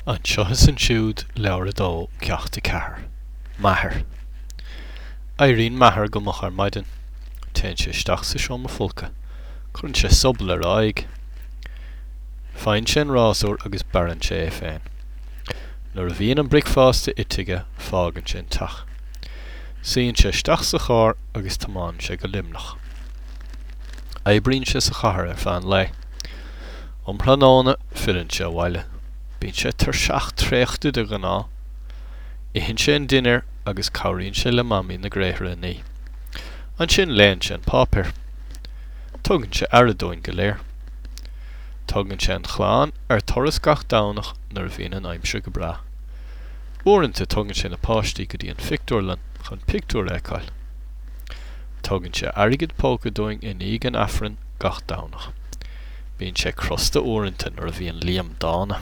Anseo is Ansiúd, Leabhar 2, Ceacht 4. M'athair. Éiríonn m'athair go moch ar maidin. Téann sé isteach sa seomra folctha. Cuireann sé sobal ar a aghaidh. Faigheann sé an rásúr agus bearrann sé é féin. Nuair a bhíonn an bricfeasta ite aige, fágann sé an teach. Suíonn sé isteach sa charr agus tiomáineann sé go Luimneach. Oibríonn sé sa chathair ar feadh an lae. Um thráthnóna, filleann sé abhaile. Bíonn sé tuirseach traochta de ghnáth. Itheann sé an dinnéar agus cabhraíonn sé le Mamaí na gréithre a ní. Ansin léann sé an páipéar. Tugann sé aire dúinn go léir. Tugann sé an chlann ar turas gach Domhnach nuair a bhíonn an aimsir go breá. Uaireanta tugann sé na páistí go dtí an phictiúrlann chun pictiúr a fheiceáil. Tugann sé airgead póca dúinn i ndiaidh an Aifrinn gach Domhnach. Bíonn sé crosta uaireanta nuair a bhíonn Liam dána.